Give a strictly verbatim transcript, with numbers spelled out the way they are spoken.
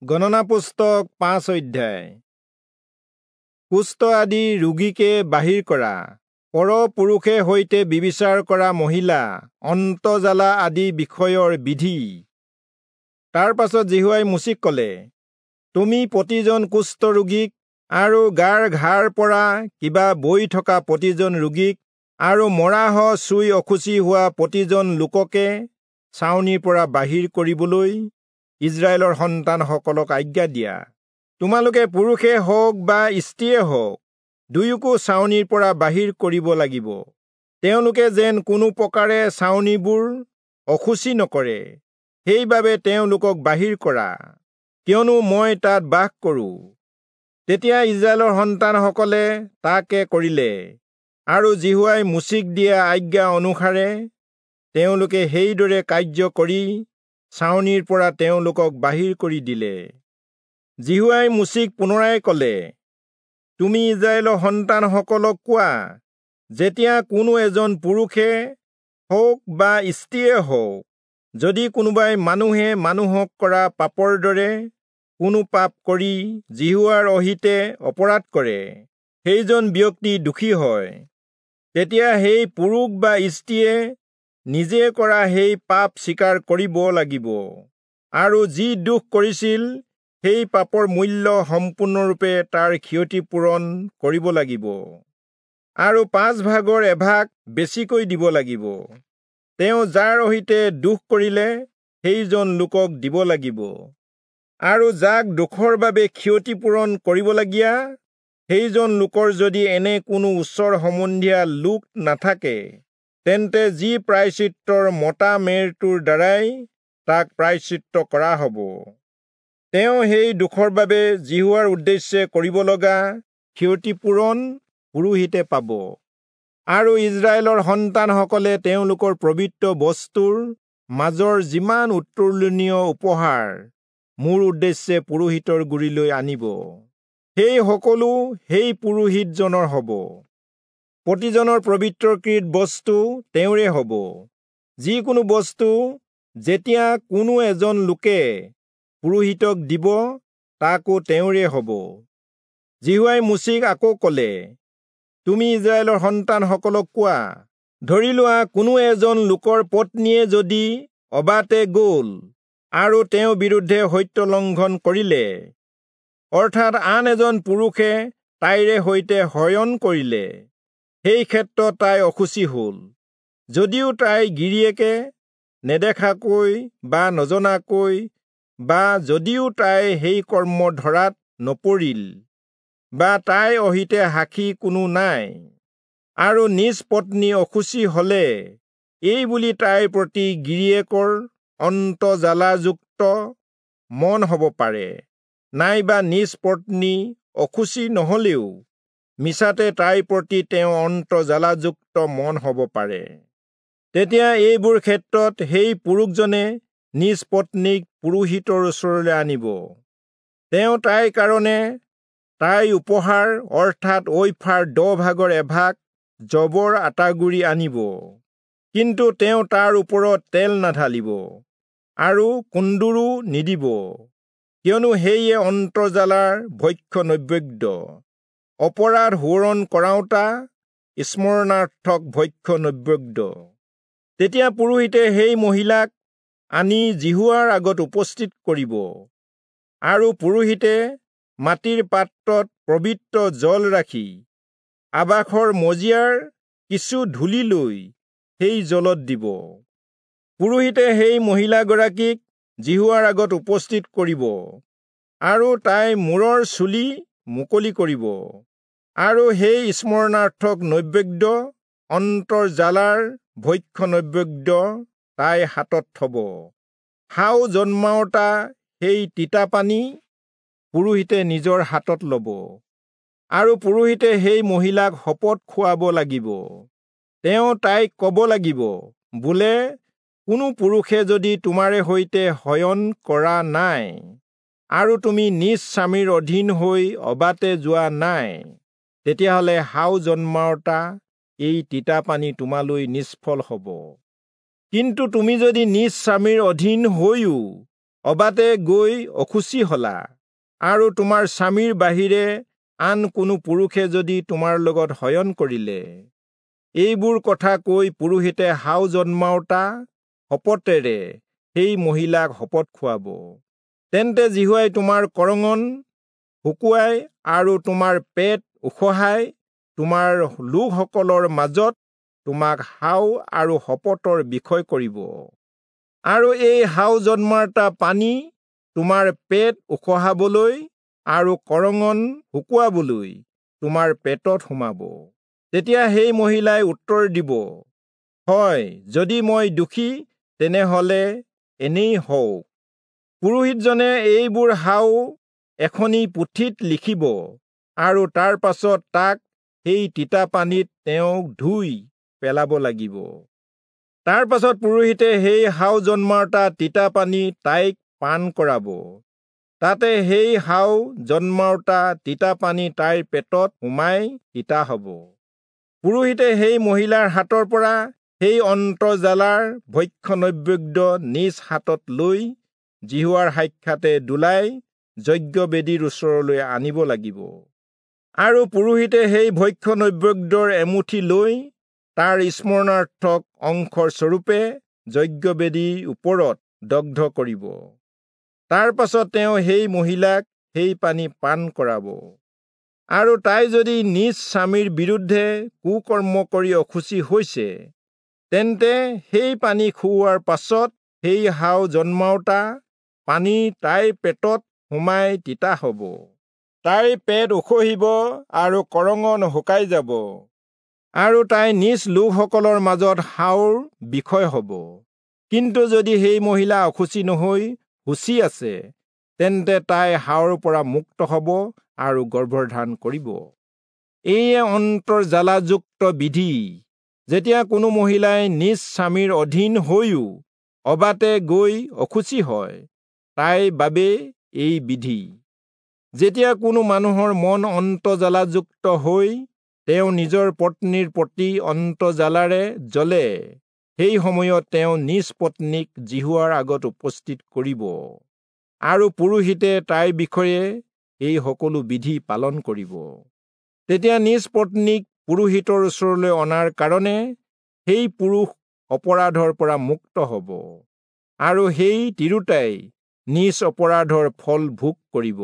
গণনা পুস্তক পাঁচ অধ্যায়। কুষ্ঠ আদি ৰোগীকে বাহিৰ কৰা, পৰপুৰুষে সৈতে ব্যভিচাৰ কৰা মহিলা, অন্তঃজ্বালা আদি বিষয়ৰ বিধি। তাৰ পাছত যিহোৱাই মোচিক কলে, তুমি প্ৰতিজন কুষ্ঠ ৰোগীক আৰু গাৰ ঘাৰ পৰা কিবা বৈ থকা প্ৰতিজন ৰোগীক আৰু মৰাহ চুই অশুচি হোৱা প্ৰতিজন লোককে ছাউনিৰ পৰা বাহিৰ কৰিবলৈ ইস্ৰায়েলৰ সন্তানসকলক আজ্ঞা দিয়া। তোমালোকে পুৰুষে হওক বা স্ত্ৰীয়ে হওক দুয়োকো ছাউনিৰ পৰা বাহিৰ কৰিব লাগিব। তেওঁলোকে যেন কোনো প্ৰকাৰে ছাউনিবোৰ অশুচি নকৰে, সেইবাবে তেওঁলোকক বাহিৰ কৰা, কিয়নো মই তাত বাস কৰোঁ। তেতিয়া ইস্ৰায়েলৰ সন্তানসকলে তাকে কৰিলে, আৰু যিহোৱাই মোচিক দিয়া আজ্ঞা অনুসাৰে তেওঁলোকে সেইদৰে কাৰ্য কৰি ছাউনিৰ পৰা তেওঁলোকক বাহিৰ কৰি দিলে। যিহোৱাই মোচিক পুনৰাই কলে, তুমি ইস্ৰায়েলৰ সন্তানসকলক কোৱা, যেতিয়া কোনো এজন পুৰুষে হওক বা স্ত্ৰীয়ে হওক, যদি কোনোবাই মানুহে মানুহক কৰা পাপৰ দৰে কোনো পাপ কৰি যিহোৱাৰ অহিতে অপৰাধ কৰে, সেইজন ব্যক্তি দোষী হয়। তেতিয়া সেই পুৰুষ বা স্ত্ৰীয়ে নিজে কৰা সেই পাপ স্বীকাৰ কৰিব লাগিব, আৰু যি দোষ কৰিছিল সেই পাপৰ মূল্য সম্পূৰ্ণৰূপে তাৰ ক্ষতিপূৰণ কৰিব লাগিব, আৰু পাঁচ ভাগৰ এভাগ বেছিকৈ দিব লাগিব। তেওঁ যাৰ অহিতে দোষ কৰিলে সেইজন লোকক দিব লাগিব, আৰু যাক দোষৰ বাবে ক্ষতিপূৰণ কৰিবলগীয়া সেইজন লোকৰ যদি এনে কোনো ওচৰ সম্বন্ধীয়া লোক নাথাকে, তেন্তে যি প্ৰায়শ্চিত্তৰ মতা মেৰটোৰ দ্বাৰাই তাক প্ৰায়শ্চিত্ত কৰা হ'ব। তেওঁ সেই দোষৰ বাবে যিহোৱাৰ উদ্দেশ্যে কৰিব লগা ক্ষতিপূৰণ পুৰোহিতে পাব। আৰু ইস্ৰায়েলৰ সন্তানসকলে তেওঁলোকৰ পবিত্ৰ বস্তুৰ মাজৰ যিমান উত্তোলনীয় উপহাৰ মোৰ উদ্দেশ্যে পুৰোহিতৰ গুৰিলৈ আনিব, সেই সকলো সেই পুৰোহিতজনৰ হ'ব। প্ৰতিজনৰ পবিত্ৰকৃত বস্তু তেওঁৰে হ'ব। যিকোনো বস্তু যেতিয়া কোনো এজন লোকে পুৰোহিতক দিব, তাকো তেওঁৰে হ'ব। যিহোৱাই মোচিক আকৌ কলে, তুমি ইস্ৰায়েলৰ সন্তানসকলক কোৱা, ধৰি লোৱা কোনো এজন লোকৰ পত্নীয়ে যদি অবাটে গ'ল আৰু তেওঁৰ বিৰুদ্ধে সত্য লংঘন কৰিলে, অৰ্থাৎ আন এজন পুৰুষে তাইৰে সৈতে শয়ন কৰিলে, সেই ক্ষেত্ৰত তাই অশুচি হ'ল। যদিও তাই গিৰিয়েকে নেদেখাকৈ বা নজনাকৈ বা যদিও তাই সেই কৰ্ম ধৰাত নপৰিল বা তাইৰ অহিতে সাক্ষী কোনো নাই, আৰু নিজ পত্নী অশুচি হলে এই বুলি তাইৰ প্ৰতি গিৰিয়েকৰ অন্তঃজ্বালাযুক্ত মন হ'ব পাৰে, নাইবা নিজ পত্নী অশুচি নহলেও মিছাতে তাইৰ প্ৰতি তেওঁ অন্তঃজ্বালাযুক্ত মন হ'ব পাৰে। তেতিয়া এইবোৰ ক্ষেত্ৰত সেই পুৰুষজনে নিজ পত্নীক পুৰোহিতৰ ওচৰলৈ আনিব। তেওঁ তাইৰ কাৰণে তাইৰ উপহাৰ অৰ্থাৎ ঐফাৰ দহ ভাগৰ এভাগ যৱৰ আটাগুড়ি আনিব, কিন্তু তেওঁ তাৰ ওপৰত তেল নাঢালিব আৰু কুন্দুৰো নিদিব, কিয়নো সেয়ে অন্তৰ্জ্বালাৰ ভক্ষ্য নৈবেদ্য, অপৰাধ সোঁৱৰণ কৰাওঁতা স্মৰণাৰ্থক ভক্ষ্য নৈবেদ্য। তেতিয়া পুৰোহিতে সেই মহিলাক আনি যিহোৱাৰ আগত উপস্থিত কৰিব, আৰু পুৰোহিতে মাটিৰ পাত্ৰত পবিত্ৰ জল ৰাখি আবাসৰ মজিয়াৰ কিছু ধূলি লৈ সেই জলত দিব। পুৰোহিতে সেই মহিলাগৰাকীক যিহোৱাৰ আগত উপস্থিত কৰিব, আৰু তাইৰ মূৰৰ চুলি মুকলি কৰিব, আৰু সেই স্মৰণাৰ্থক নৈবেদ্য অন্তৰ্জ্বালাৰ ভক্ষ্য নৈবেদ্য তাইৰ হাতত থব। শাও জন্মাওঁতা সেই তিতা পানী পুৰোহিতে নিজৰ হাতত ল'ব, আৰু পুৰোহিতে সেই মহিলাক শপত খুৱাব লাগিব। তেওঁ তাইক ক'ব লাগিব, বোলে কোনো পুৰুষে যদি তোমাৰে সৈতে শয়ন কৰা নাই, আৰু তুমি নিজ স্বামীৰ অধীন হৈ অবাটে যোৱা নাই, তেতিয়াহ'লে শাও জন্মাওঁতা এই তিতা পানী তোমালৈ নিষ্ফল হ'ব। কিন্তু তুমি যদি নিজ স্বামীৰ অধীন হৈও অবাটে গৈ অশুচি হলা, আৰু তোমাৰ স্বামীৰ বাহিৰে আন কোনো পুৰুষে যদি তোমাৰ লগত শয়ন কৰিলে, এইবোৰ কথা কৈ পুৰোহিতে শাও জন্মাওঁতা শপতেৰে সেই মহিলাক শপত খুৱাব। তেন্তে যিহোৱাই তোমাৰ কৰঙন শুকুৱাই আৰু তোমাৰ পেট উখহাই তোমাৰ লোকসকলৰ মাজত তোমাক শাও আৰু শপতৰ বিষয় কৰিব। আৰু এই শাও জন্মাওঁতা পানী তোমাৰ পেট উখহাবলৈ আৰু কৰঙন শুকুৱাবলৈ তোমাৰ পেটত সোমাব। তেতিয়া সেই মহিলাই উত্তৰ দিব, হয়, যদি মই দোষী, তেনেহলে এনেই হওক। পুৰোহিতজনে এইবোৰ শাও এখনি পুথিত লিখিব আৰু তাৰ পাছত তাক সেই তিতা পানীত তেওঁক ধুই পেলাব লাগিব। তাৰ পাছত পুৰোহিতে সেই শাও জন্মাওঁতা তিতা পানী তাইক পান কৰাব। তাতে সেই শাও জন্মাওঁতা তিতা পানী তাইৰ পেটত সোমাই তিতা হ'ব। পুৰোহিতে সেই মহিলাৰ হাতৰ পৰা সেই অন্তৰ্জ্বালাৰ ভক্ষ্য নৈবেদ্য নিজ হাতত লৈ যিহোৱাৰ সাক্ষাতে দোলাই যজ্ঞবেদীৰ ওচৰলৈ আনিব লাগিব। আৰু পুৰোহিতে সেই ভক্ষ্য নৈবেদ্যৰ এমুঠি লৈ তাৰ স্মৰণাৰ্থক অংশৰ স্বৰূপে যজ্ঞবেদীৰ ওপৰত দগ্ধ কৰিব। তাৰ পাছত তেওঁ সেই মহিলাক সেই পানী পান কৰাব। আৰু তাই যদি নিজ স্বামীৰ বিৰুদ্ধে কুকৰ্ম কৰি অশুচি হৈছে, তেন্তে সেই পানী খুওৱাৰ পাছত সেই শাও জন্মাওঁতা পানী তাইৰ পেটত সোমাই তিতা হ'ব। তাইৰ পেট উখহিব আৰু কৰঙন শুকাই যাব, আৰু তাই নিজ লোকসকলৰ মাজত শাওৰ বিষয় হ'ব। কিন্তু যদি সেই মহিলা অশুচি নহৈ শুচি আছে, তেন্তে তাই শাওৰ পৰা মুক্ত হ'ব আৰু গৰ্ভধাৰণ কৰিব। এয়ে অন্তৰ্জ্বালাযুক্ত বিধি। যেতিয়া কোনো মহিলাই নিজ স্বামীৰ অধীন হৈও অবাটে গৈ অশুচি হয়, তাইৰ বাবে এই বিধি। যেতিয়া কোনো মানুহৰ মন অন্তৰ্জ্বালাযুক্ত হৈ তেওঁ নিজৰ পত্নীৰ প্ৰতি অন্তৰ্জ্বালাৰে জ্বলে, সেই সময়ত তেওঁ নিজ পত্নীক যিহোৱাৰ আগত উপস্থিত কৰিব, আৰু পুৰোহিতে তাইৰ বিষয়ে এই সকলো বিধি পালন কৰিব। তেতিয়া নিজ পত্নীক পুৰোহিতৰ ওচৰলৈ অনাৰ কাৰণে সেই পুৰুষ অপৰাধৰ পৰা মুক্ত হ'ব, আৰু সেই তিৰোতাই নিজ অপৰাধৰ ফল ভোগ কৰিব।